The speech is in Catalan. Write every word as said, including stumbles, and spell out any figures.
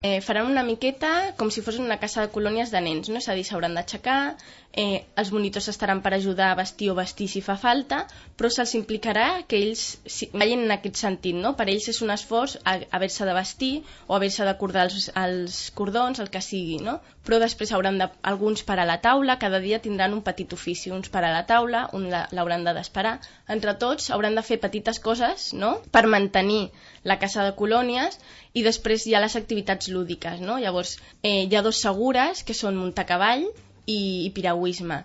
Eh, faran una miqueta com si fos una casa de colònies de nens, no? És a dir, s'hauran d'aixecar, eh, els monitors estaran per ajudar a vestir o vestir si fa falta, però se'ls implicarà que ells si, vagin en aquest sentit, no? Per ells és un esforç haver-se de vestir o haver-se de cordar els, els cordons, el que sigui, no? Però després hauran de, alguns per a la taula, cada dia tindran un petit ofici, uns per a la taula, un l'hauran de d'esperar. Entre tots hauran de fer petites coses, no? Per mantenir la casa de colònies, i després hi ha les activitats lúdiques, no? Llavors, eh, hi ha dos segures, que són muntar a cavall i, i piragüisme.